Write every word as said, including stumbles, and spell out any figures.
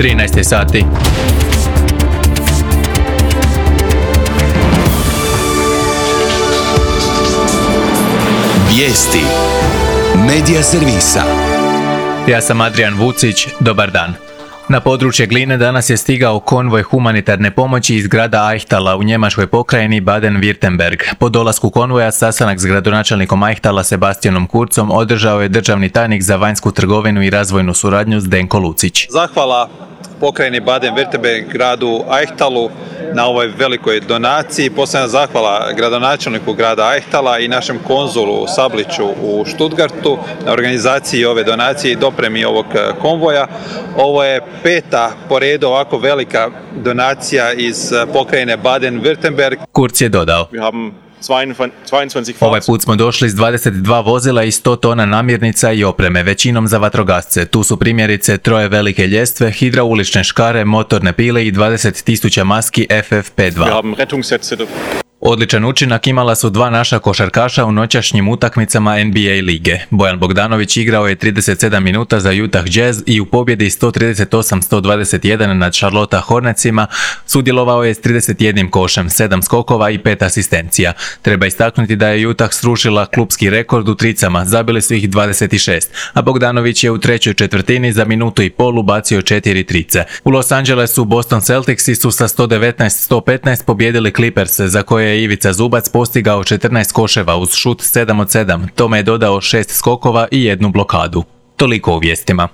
trinaest je sati. Vijesti Medija servisa. Ja sam Adrian Vucić, dobar dan. Na područje Gline danas je stigao konvoj humanitarne pomoći iz grada Eichtala u njemačkoj pokrajini Baden-Württemberg. Po dolasku konvoja sastanak s gradonačelnikom Eichtala Sebastianom Kurzom održao je državni tajnik za vanjsku trgovinu i razvojnu suradnju Zdenko Lucić. Zahvala pokrajini Baden-Württemberg, gradu Eichtalu na ovoj velikoj donaciji. Posebna zahvala gradonačelniku grada Eichtala i našem konzulu u Sabliću u Stuttgartu na organizaciji ove donacije i dopremi ovog konvoja. Ovo je peta po redu ovako velika donacija iz pokrajine Baden-Württemberg. Kurz je dodao: Ovaj put smo došli s dvadeset dva vozila i sto tona namirnica i opreme, većinom za vatrogasce. Tu su primjerice troje velike ljestve, hidraulične škare, motorne pile i dvadeset tisuća maski F F P dva. Odličan učinak imala su dva naša košarkaša u noćašnjim utakmicama N B A lige. Bojan Bogdanović igrao je trideset sedam minuta za Utah Jazz i u pobjedi sto trideset osam sto dvadeset jedan nad Charlotte Hornetsima sudjelovao je s trideset jednim košem, sedam skokova i pet asistencija. Treba istaknuti da je Utah srušila klupski rekord u tricama, zabili su ih dvadeset šest, a Bogdanović je u trećoj četvrtini za minutu i pol ubacio četiri trice. U Los Angelesu Boston Celticsi su sa sto devetnaest sto petnaest pobjedili Clipperse, za koje je Ivica Zubac postigao četrnaest koševa uz šut sedam od sedam, tome je dodao šest skokova i jednu blokadu. Toliko u vijestima.